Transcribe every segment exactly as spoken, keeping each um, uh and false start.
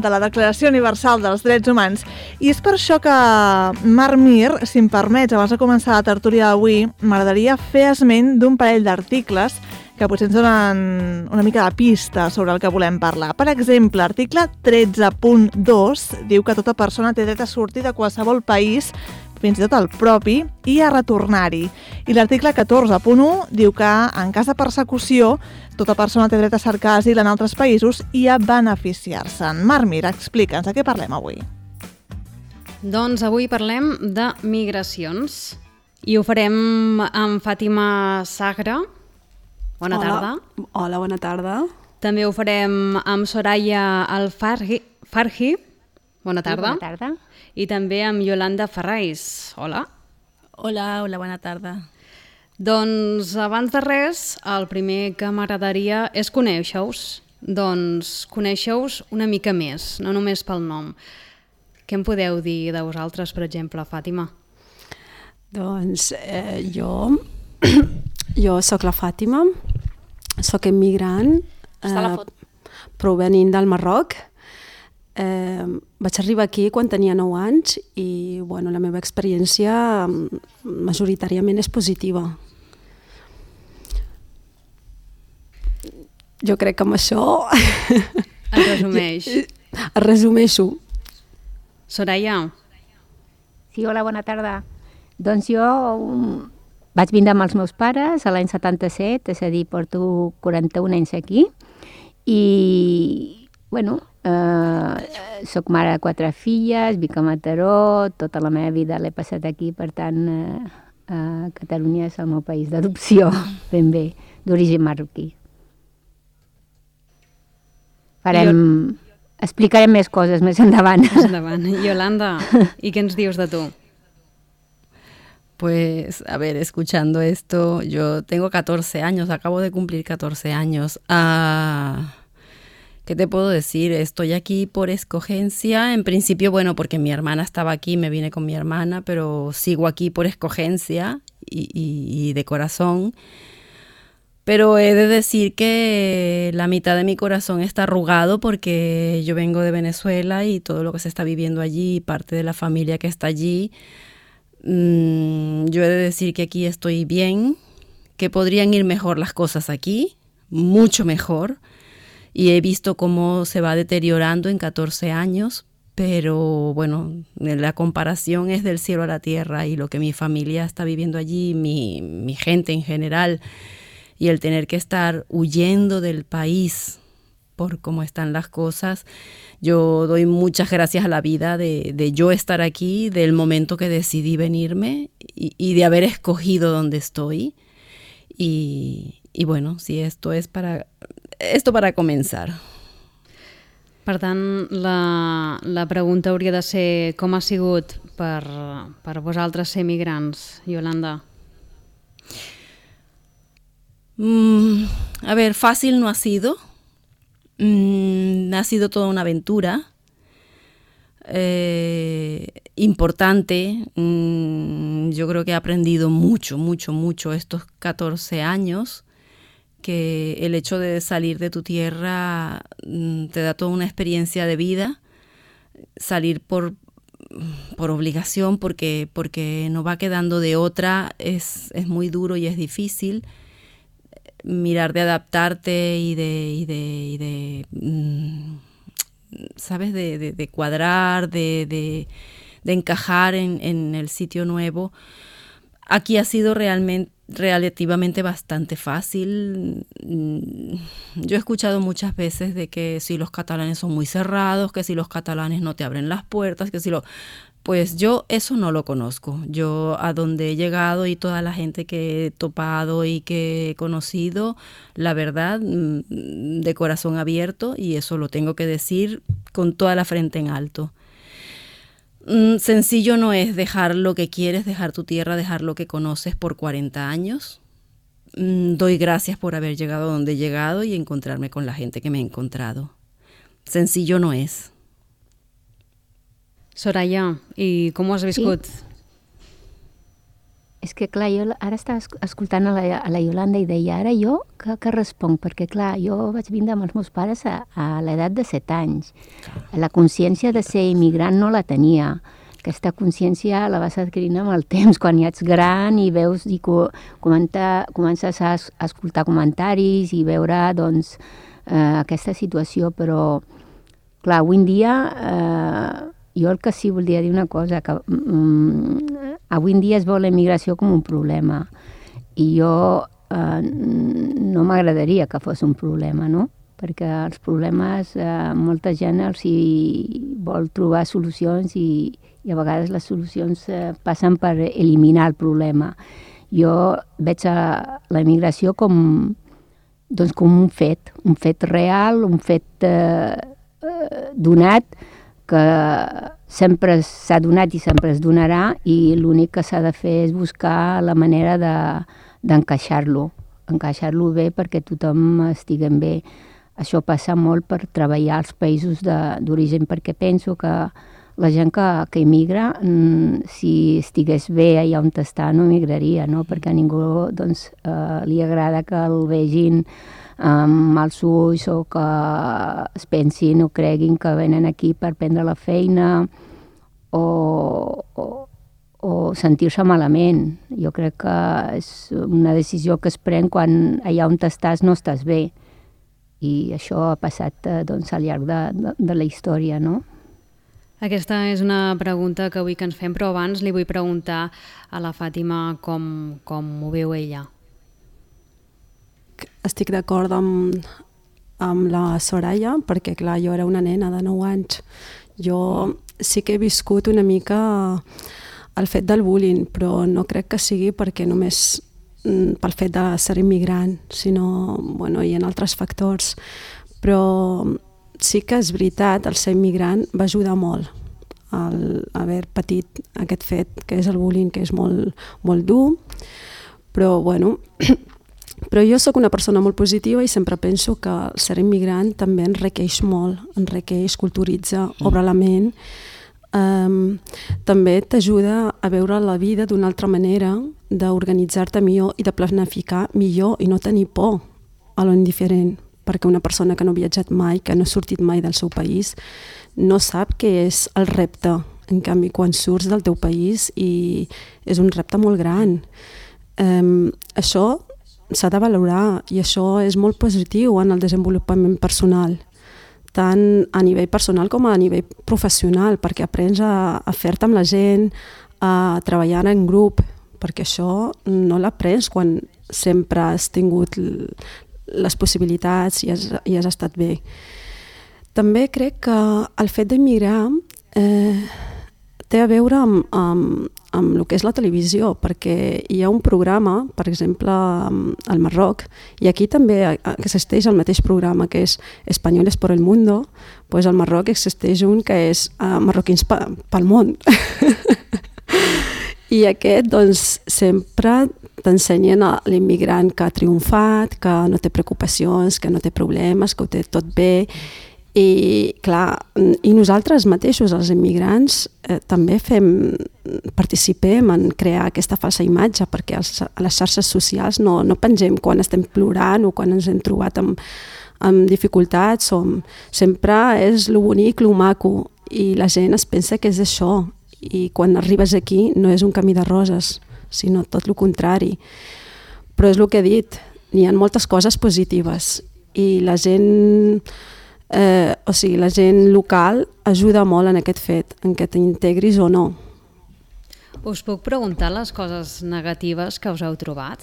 de la Declaració Universal dels Drets Humans. I és per això que, Marc Mir, si em permets, abans de començar la tertúlia d'avui, m'agradaria fer esment d'un parell d'articles que potser ens donen una mica de pista sobre el que volem parlar. Per exemple, l'article tretze punt dos diu que tota persona té dret a sortir de qualsevol país, fins i tot el propi, i a retornar-hi. I l'article catorze punt u diu que, en cas de persecució, tota persona té dret a cercar asil en altres països i a beneficiar-se'n. Marc Mir, explica'ns, de què parlem avui? Doncs avui parlem de migracions i ho farem amb Fàtima Sagra. Bona Hola. tarda. Hola, bona tarda. També ho farem amb Soraya Alfarhi. Farhi. Bona tarda. Sí, bona tarda. I també amb Yolanda Ferrais. Hola. Hola, hola, bona tarda. Doncs abans de res, el primer que m'agradaria és conèixer-vos. Doncs conèixer-vos una mica més, no només pel nom. Què em podeu dir de vosaltres, per exemple, Fàtima? Doncs eh, jo, jo sóc la Fàtima, sóc immigrant, eh, provenint del Marroc. Eh, vaig arribar aquí quan tenia nou anys i bueno, la meva experiència majoritàriament és positiva. Jo crec que amb això Et resumeix. es resumeixo. Soraya. Sí, hola, bona tarda. Doncs jo um, vaig vindre amb els meus pares a l'any setanta-set, és a dir, porto quaranta-un anys aquí, i, bueno, eh, soc mare de quatre filles, vic a Mataró, tota la meva vida l'he passat aquí, per tant, eh, eh, Catalunya és el meu país d'adopció, ben bé, d'origen marroquí. Farem... Jo... Explicarem més coses més endavant. Més endavant. Yolanda, ¿y qué ens dius de tú? Pues, a ver, escuchando esto, yo tengo catorce años, acabo de cumplir catorce años. Ah, ¿qué te puedo decir? Estoy aquí por escogencia. En principio, bueno, porque mi hermana estaba aquí, me vine con mi hermana, pero sigo aquí por escogencia y, y, y de corazón. Pero he de decir que la mitad de mi corazón está arrugado porque yo vengo de Venezuela y todo lo que se está viviendo allí, parte de la familia que está allí, mmm, yo he de decir que aquí estoy bien, que podrían ir mejor las cosas aquí, mucho mejor, y he visto cómo se va deteriorando en catorce años, pero bueno, la comparación es del cielo a la tierra y lo que mi familia está viviendo allí, mi, mi gente en general, y el tener que estar huyendo del país por cómo están las cosas, yo doy muchas gracias a la vida de, de yo estar aquí, del momento que decidí venirme y, y de haber escogido donde estoy. Y, y bueno, sí, esto es para, esto para comenzar. Per tant, la, la pregunta hauria de ser com ha sigut per, per vosaltres ser migrants, Yolanda? Mm, a ver, fácil no ha sido. Mm, ha sido toda una aventura eh, importante. Mm, yo creo que he aprendido mucho, mucho, mucho estos catorce años, que el hecho de salir de tu tierra mm, te da toda una experiencia de vida. Salir por, por obligación, porque, porque no va quedando de otra, es, es muy duro y es difícil. Mirar de adaptarte y de, y de, y de mmm, ¿sabes? De, de, de cuadrar, de, de, de encajar en, en el sitio nuevo. Aquí ha sido realmente, relativamente bastante fácil. Yo he escuchado muchas veces de que si los catalanes son muy cerrados, que si los catalanes no te abren las puertas, que si lo... Pues yo eso no lo conozco. Yo a donde he llegado y toda la gente que he topado y que he conocido, la verdad, de corazón abierto, y eso lo tengo que decir con toda la frente en alto. Sencillo no es dejar lo que quieres, dejar tu tierra, dejar lo que conoces por cuarenta años. Doy gracias por haber llegado a donde he llegado y encontrarme con la gente que me he encontrado. Sencillo no es. Soraya, i com ho has viscut? Sí. és que clar, jo ara estava escoltant a la, a la Iolanda i deia, ara jo què, què responc? Perquè clar, jo vaig vindre amb els meus pares a, a l'edat de set anys. La consciència de ser immigrant no la tenia. Aquesta consciència la vas adquirint amb el temps, quan ja ets gran i veus i co comenta, comences a, a escoltar comentaris i veure doncs, eh, aquesta situació, però clar, avui en dia eh, jo el que sí voldria dir una cosa, que mm, avui en dia es veu la immigració com un problema i jo eh, no m'agradaria que fos un problema, no? Perquè els problemes, eh, molta gent els hi vol trobar solucions i, i a vegades les solucions eh, passen per eliminar el problema. Jo veig a la immigració com, doncs, com un fet, un fet real, un fet eh, eh, donat, que sempre s'ha donat i sempre es donarà i l'únic que s'ha de fer és buscar la manera d'encaixar-lo, de, encaixar-lo bé perquè tothom estiguem bé. Això passa molt per treballar als països d'origen, perquè penso que la gent que, que immigra, si estigués bé allà on està, no emigraria, no? Perquè a ningú doncs, eh, li agrada que el vegin amb els ulls o que es pensin o creguin que venen aquí per prendre la feina o, o, o sentir-se malament. Jo crec que és una decisió que es pren quan allà on estàs no estàs bé. I això ha passat doncs, al llarg de, de, de la història, no? Aquesta és una pregunta que avui que ens fem, però abans li vull preguntar a la Fàtima com, com ho veu ella. Estic d'acord amb, amb la Soraya, perquè clar, jo era una nena de nou anys. Jo sí que he viscut una mica el fet del bullying, però no crec que sigui perquè només pel fet de ser immigrant, sinó, bueno, hi ha altres factors. Però sí que és veritat, el ser immigrant va ajudar molt al haver patit aquest fet, que és el bullying, que és molt, molt dur, però bueno... Però jo sóc una persona molt positiva i sempre penso que el ser immigrant també enriqueix molt, enriqueix, culturitza, obre la ment. Um, també t'ajuda a veure la vida d'una altra manera, d'organitzar-te millor i de planificar millor i no tenir por a lo indiferent, perquè una persona que no ha viatjat mai, que no ha sortit mai del seu país, no sap què és el repte. En canvi, quan surts del teu país i és un repte molt gran. Um, això s'ha de valorar i això és molt positiu en el desenvolupament personal, tant a nivell personal com a nivell professional, perquè aprens a, a fer-te amb la gent, a treballar en grup, perquè això no l'aprens quan sempre has tingut les possibilitats i has, i has estat bé. També crec que el fet d'immigrar eh, té a veure amb, amb, amb el que és la televisió, perquè hi ha un programa, per exemple, al Marroc, i aquí també existeix el mateix programa, que és Españoles por el Mundo, doncs al Marroc existeix un que és uh, Marroquins pel món. I aquest, doncs, sempre t'ensenyen a l'immigrant que ha triomfat, que no té preocupacions, que no té problemes, que ho té tot bé. I clar, i nosaltres mateixos, els immigrants, eh, també fem, participem en crear aquesta falsa imatge, perquè als, a les xarxes socials no, no pengem quan estem plorant o quan ens hem trobat amb, amb dificultats, o sempre és lo bonic, lo maco, i la gent es pensa que és això, i quan arribes aquí no és un camí de roses, sinó tot el contrari. Però és el que he dit, hi ha moltes coses positives, i la gent... Eh, o sigui, la gent local ajuda molt en aquest fet, en que t'integris o no. Us puc preguntar les coses negatives que us heu trobat?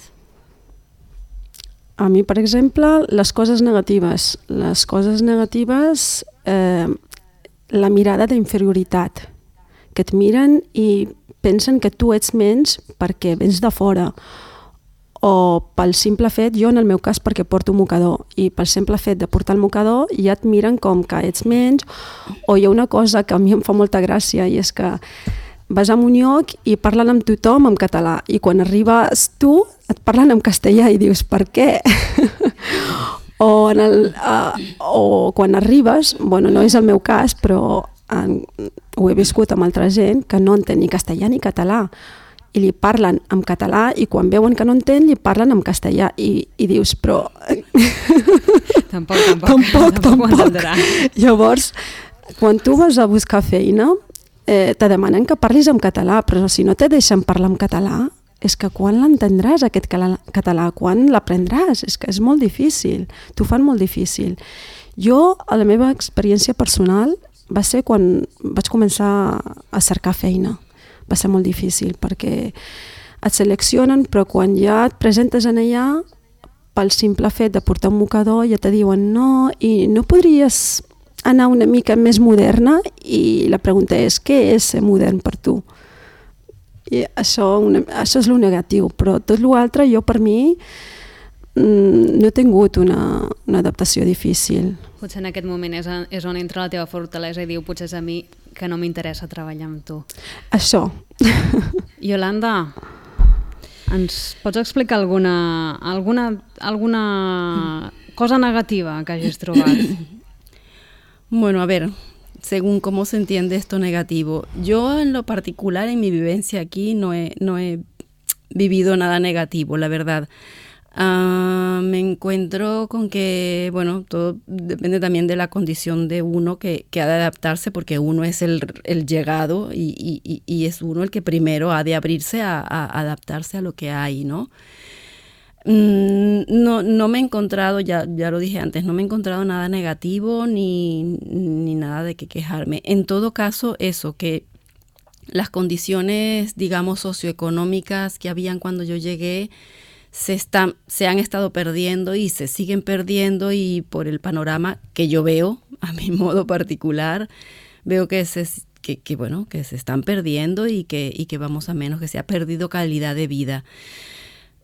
A mi, per exemple, les coses negatives. Les coses negatives, eh, la mirada d'inferioritat, que et miren i pensen que tu ets menys perquè vens de fora, o pel simple fet, jo en el meu cas perquè porto mocador, i pel simple fet de portar el mocador ja et miren com que ets menys, o hi ha una cosa que a mi em fa molta gràcia i és que vas a un lloc i parlen amb tothom en català i quan arribes tu et parlen en castellà i dius per què? o, en el, uh, o quan arribes, bueno, no és el meu cas, però en, ho he viscut amb altra gent que no entén ni castellà ni català. i li parlen en català i quan veuen que no entén li parlen en castellà i, i dius, però... Tampoc, tampoc, tampoc, tampoc. tampoc. Llavors, quan tu vas a buscar feina, eh, te demanen que parlis en català, però si no te deixen parlar en català, és que quan l'entendràs aquest català, quan l'aprendràs? És que és molt difícil, t'ho fan molt difícil. Jo, a la meva experiència personal, va ser quan vaig començar a cercar feina. Va ser molt difícil perquè et seleccionen, però quan ja et presentes en allà, pel simple fet de portar un mocador, ja te diuen no, i no podries anar una mica més moderna? I la pregunta és, què és ser modern per tu? I això, una, això és el negatiu, però tot l'altre jo per mi no he tingut una, una adaptació difícil. Potser en aquest moment és, és on entra la teva fortalesa i diu, potser és a mi que no m'interessa treballar amb tu. Això. Yolanda, ens pots explicar alguna, alguna, alguna cosa negativa que hagis trobat? Bueno, a ver, según cómo se entiende esto negativo. Yo en lo particular, en mi vivencia aquí, no he, no he vivido nada negativo, la verdad. Uh, me encuentro con que, bueno, todo depende también de la condición de uno que, que ha de adaptarse, porque uno es el, el llegado y, y, y es uno el que primero ha de abrirse a, a adaptarse a lo que hay, ¿no? Mm, no, no me he encontrado, ya, ya lo dije antes, no me he encontrado nada negativo ni, ni nada de qué quejarme. En todo caso, eso, que las condiciones, digamos, socioeconómicas que habían cuando yo llegué, Se, están, se han estado perdiendo y se siguen perdiendo, y por el panorama que yo veo, a mi modo particular, veo que se, que, que, bueno, que se están perdiendo y que, y que vamos a menos, que se ha perdido calidad de vida.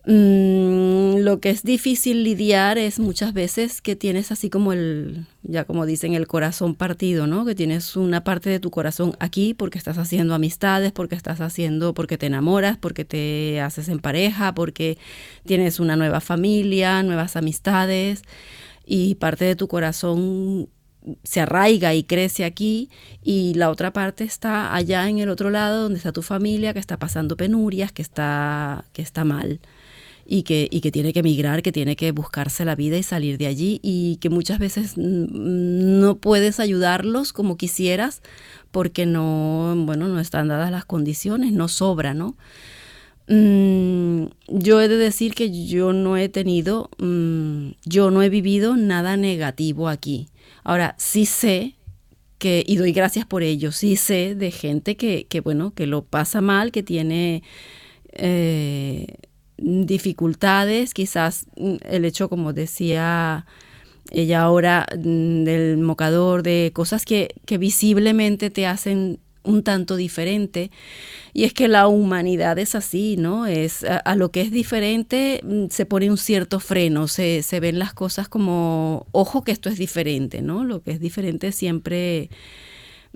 Mm, lo que es difícil lidiar es muchas veces que tienes así como el, ya como dicen, el corazón partido, ¿no? Que tienes una parte de tu corazón aquí porque estás haciendo amistades, porque estás haciendo, porque te enamoras, porque te haces en pareja, porque tienes una nueva familia, nuevas amistades, y parte de tu corazón se arraiga y crece aquí, y la otra parte está allá en el otro lado donde está tu familia, que está pasando penurias, que está, que está mal. Y que, y que tiene que emigrar, que tiene que buscarse la vida y salir de allí, y que muchas veces no puedes ayudarlos como quisieras porque no, bueno, no están dadas las condiciones, no sobra, ¿no? Mm, yo he de decir que yo no he tenido, mm, yo no he vivido nada negativo aquí. Ahora, sí sé que, y doy gracias por ello, sí sé de gente que, que bueno, que lo pasa mal, que tiene... Eh, dificultades, quizás el hecho, como decía ella ahora, del mocador, de cosas que, que visiblemente te hacen un tanto diferente, y es que la humanidad es así, ¿no? Es, a, a lo que es diferente se pone un cierto freno, se, se ven las cosas como, ojo que esto es diferente, ¿no? Lo que es diferente siempre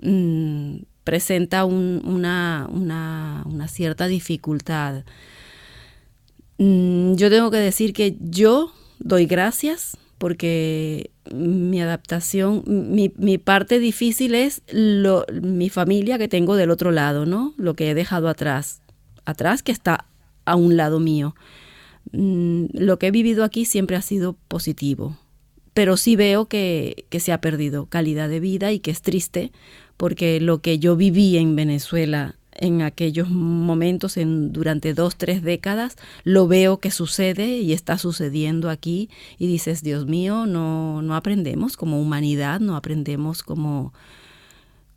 mmm, presenta un, una, una, una cierta dificultad. Yo tengo que decir que yo doy gracias porque mi adaptación, mi, mi parte difícil es lo, mi familia que tengo del otro lado, ¿no? Lo que he dejado atrás, atrás que está a un lado mío. Lo que he vivido aquí siempre ha sido positivo, pero sí veo que, que se ha perdido calidad de vida y que es triste porque lo que yo viví en Venezuela en aquellos momentos, en, durante dos, tres décadas, lo veo que sucede y está sucediendo aquí, y dices, Dios mío, no, no aprendemos como humanidad, no aprendemos como,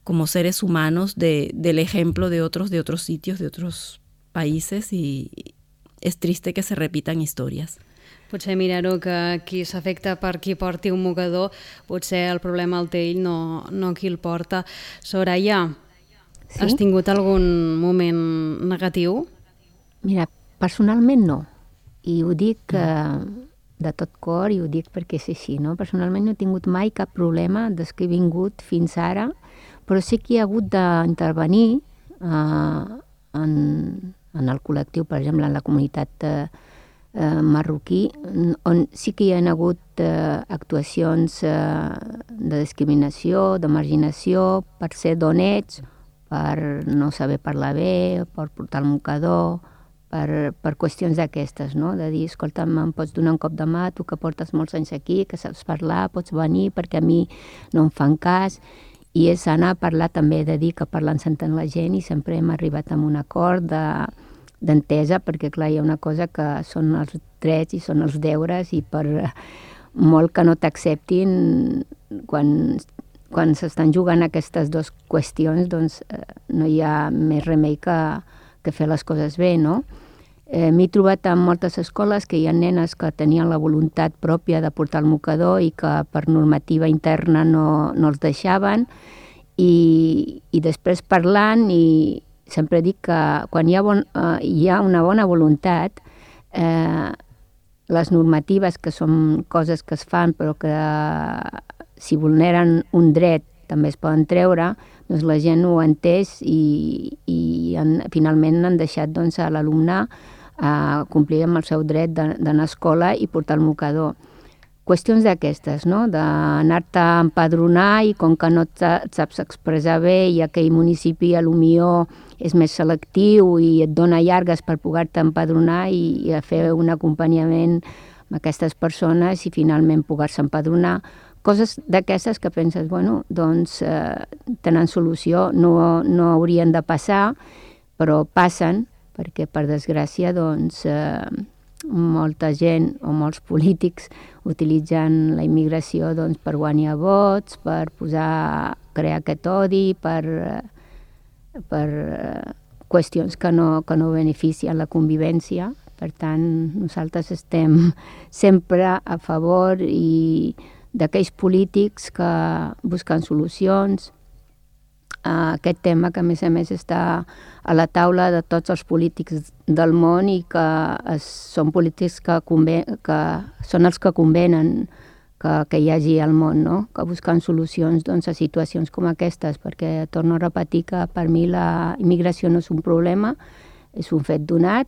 como seres humanos de, del ejemplo de otros, de otros sitios, de otros países, y és triste que se repitan històries. Potser mirar-ho que qui s'afecta per qui porti un mocador, potser el problema el té ell, no, no qui el porta. Soraya, sí? Has tingut algun moment negatiu? Mira, personalment no. I ho dic eh, de tot cor, i ho dic perquè és així, no? Personalment no he tingut mai cap problema des que he vingut fins ara, però sí que hi ha hagut d'intervenir eh, en, en el col·lectiu, per exemple, en la comunitat eh, eh, marroquí, on sí que hi ha hagut eh, actuacions eh, de discriminació, de marginació, per ser d'on ets, per no saber parlar bé, per portar el mocador, per, per qüestions d'aquestes, no? De dir, escolta'm, em pots donar un cop de mà, tu que portes molts anys aquí, que saps parlar, pots venir perquè a mi no em fan cas. I és anar a parlar també, de dir que parlant s'entén la gent, i sempre hem arribat a un acord de, d'entesa, perquè clar, hi ha una cosa que són els drets i són els deures, i per molt que no t'acceptin, quan, quan s'estan jugant aquestes dues qüestions, doncs eh, no hi ha més remei que, que fer les coses bé, no? Eh, M'he trobat en moltes escoles que hi ha nenes que tenien la voluntat pròpia de portar el mocador i que per normativa interna no, no els deixaven, i, i després parlant, i sempre dic que quan hi ha, bon, eh, hi ha una bona voluntat, eh, les normatives, que són coses que es fan però que si vulneren un dret també es poden treure, doncs la gent ho ha entès, i, i han, finalment han deixat doncs, a l'alumne a complir amb el seu dret d'anar a escola i portar el mocador. Qüestions d'aquestes, no? D'anar-te a empadronar, i com que no et saps expressar bé i aquell municipi a lo millor és més selectiu i et dona llargues per poder-te empadronar i, i a fer un acompanyament amb aquestes persones i finalment poder-se empadronar. Coses d'aquestes que penses, bueno, doncs eh, tenen solució, no, no haurien de passar, però passen, perquè per desgràcia doncs eh, molta gent o molts polítics utilitzen la immigració doncs, per guanyar vots, per posar, crear aquest odi, per, per qüestions que no, que no beneficien la convivència. Per tant, nosaltres estem sempre a favor i d'aquells polítics que busquen solucions a aquest tema, que a més a més està a la taula de tots els polítics del món, i que es, són polítics que, conven, que són els que convenen que, que hi hagi al món, no? Que busquen solucions doncs, a situacions com aquestes, perquè torno a repetir que per mi la immigració no és un problema, és un fet donat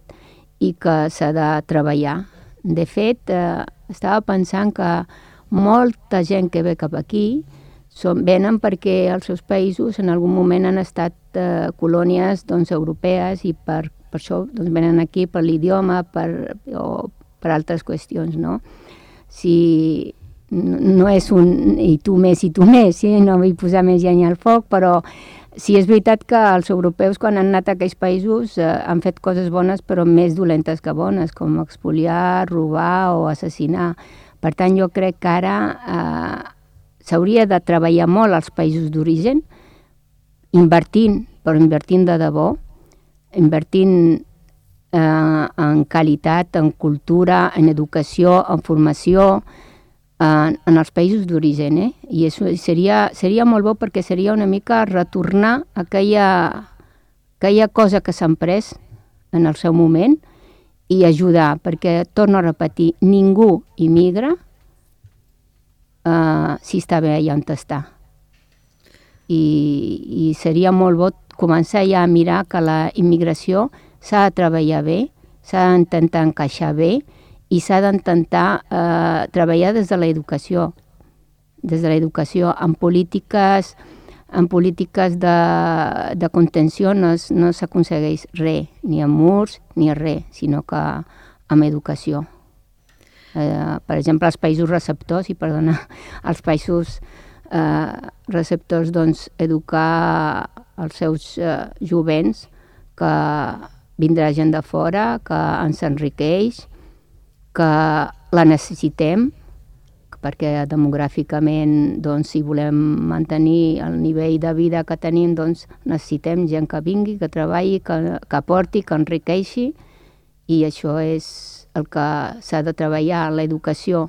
i que s'ha de treballar. De fet, eh, estava pensant que molta gent que ve cap aquí són, venen perquè els seus països en algun moment han estat eh, colònies doncs, europees, i per, per això doncs, venen aquí per l'idioma, per, o per altres qüestions, no? Si no és un i tu més i tu més, sí? No vull posar més llenya al foc, però sí és veritat que els europeus quan han anat a aquells països eh, han fet coses bones però més dolentes que bones, com expoliar, robar o assassinar. Per tant, jo crec que ara eh, s'hauria de treballar molt als països d'origen, invertint, però invertint de debò, invertint eh, en qualitat, en cultura, en educació, en formació, en, en els països d'origen. Eh? I això seria, seria molt bo, perquè seria una mica retornar aquella, aquella cosa que s'han pres en el seu moment, i ajudar, perquè, torno a repetir, ningú immigra uh, si està bé allà on està. I, I seria molt bo començar ja a mirar que la immigració s'ha de treballar bé, s'ha d'intentar encaixar bé, i s'ha d'intentar uh, treballar des de l'educació, des de l'educació, en polítiques en polítiques de, de contenció no, es, no s'aconsegueix res, ni amb murs ni res, sinó que amb educació. Eh, per exemple, els països receptors, i perdona, els països eh, receptors, doncs, educar els seus eh, jovents, que vindrà gent de fora, que ens enriqueix, que la necessitem, perquè demogràficament, doncs, si volem mantenir el nivell de vida que tenim, doncs, necessitem gent que vingui, que treballi, que, que aporti, que enriqueixi, i això és el que s'ha de treballar, l'educació,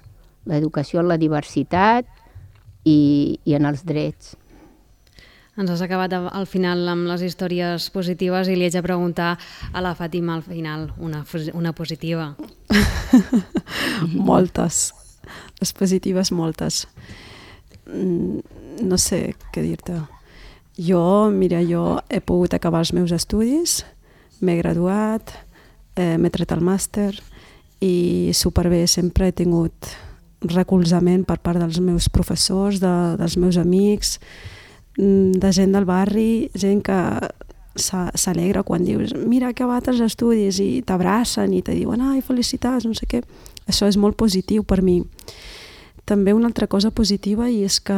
l'educació en la diversitat i, i en els drets. Ens has acabat al final amb les històries positives, i li haig de preguntar a la Fàtima al final una, una positiva. Moltes. Les positives, moltes. No sé què dir-te. Jo, mira, jo he pogut acabar els meus estudis, m'he graduat, eh, m'he tret el màster, i superbé, sempre he tingut recolzament per part dels meus professors, de, dels meus amics, de gent del barri, gent que s'alegra quan dius mira que acabat els estudis i t'abracen i te diuen ai, felicitats, no sé què. Això és molt positiu per mi. També una altra cosa positiva i és que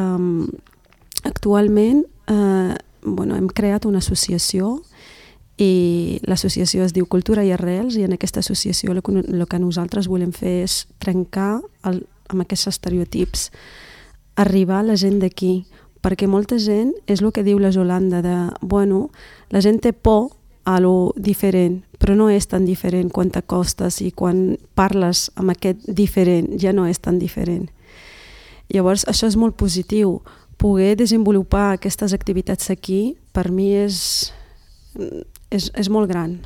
actualment eh, bueno, hem creat una associació i l'associació es diu Cultura i Arrels i en aquesta associació el que, el que nosaltres volem fer és trencar el, amb aquests estereotips, arribar a la gent d'aquí, perquè molta gent, és el que diu la Yolanda, de, bueno, la gent té por a lo diferent, però no és tan diferent quan t'acostes i quan parles amb aquest diferent ja no és tan diferent. Llavors això és molt positiu, poder desenvolupar aquestes activitats aquí per mi és, és, és molt gran.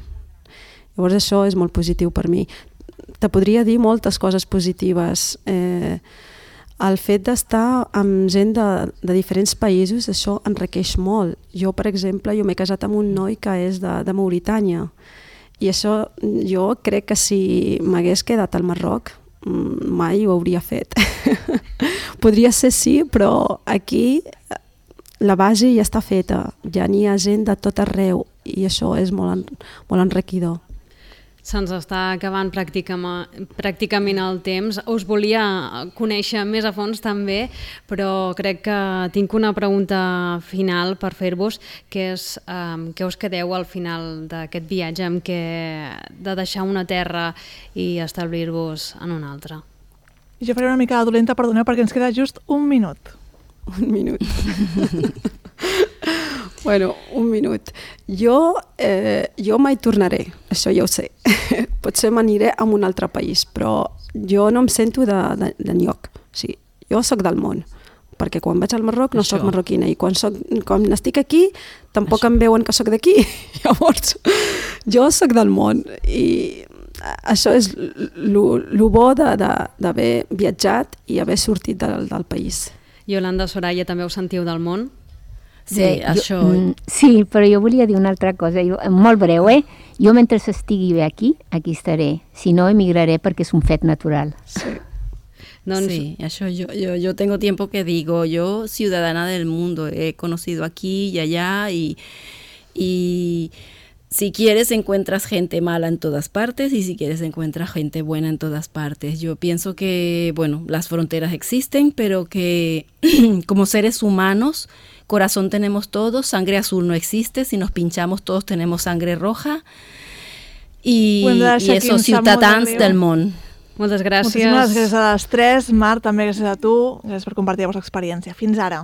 Llavors això és molt positiu per mi. Te podria dir moltes coses positives. Eh, el fet d'estar amb gent de, de diferents països, això enriqueix molt. Jo, per exemple, jo m'he casat amb un noi que és de, de Mauritània i això jo crec que si m'hagués quedat al Marroc mai ho hauria fet. Podria ser sí, però aquí la base ja està feta, ja n'hi ha gent de tot arreu i això és molt, molt enriquidor. Se'ns està acabant pràcticament el temps. Us volia conèixer més a fons també, però crec que tinc una pregunta final per fer-vos, que és um, què us quedeu al final d'aquest viatge amb què de deixar una terra i establir-vos en una altra? Jo faré una mica dolenta, perdoneu, perquè ens queda just un minut. Un minut. Bueno, un minut. Jo, eh, jo mai tornaré, això ja ho sé. Potser m'aniré a un altre país, però jo no em sento d'enlloc. Sí, jo sóc del món, perquè quan vaig al Marroc no això. Soc marroquina i quan, soc, quan estic aquí tampoc això. Em veuen que sóc d'aquí. Llavors, jo sóc del món i això és el bo d'haver viatjat i haver sortit del, del país. Yolanda, Soraya, també us sentiu del món? Sí, Bé, això... Jo, sí, però jo volia dir una altra cosa, jo, molt breu, eh? Jo mentre estigui bé aquí, aquí estaré. Si no, emigraré perquè és un fet natural. Sí. Doncs... Sí, eso yo, yo, yo tengo tiempo que digo, yo ciudadana del mundo, he conocido aquí y allá y, y si quieres encuentras gente mala en todas partes y si quieres encuentras gente buena en todas partes. Yo pienso que, bueno, las fronteras existen, pero que como seres humanos, corazón tenemos todos, sangre azul no existe, si nos pinchamos todos tenemos sangre roja y, y eso, ciutadans del món. Moltes gràcies. Moltíssimes gràcies a les tres. Marc, també gràcies a tu. Gràcies per compartir la vostra experiència. Fins ara.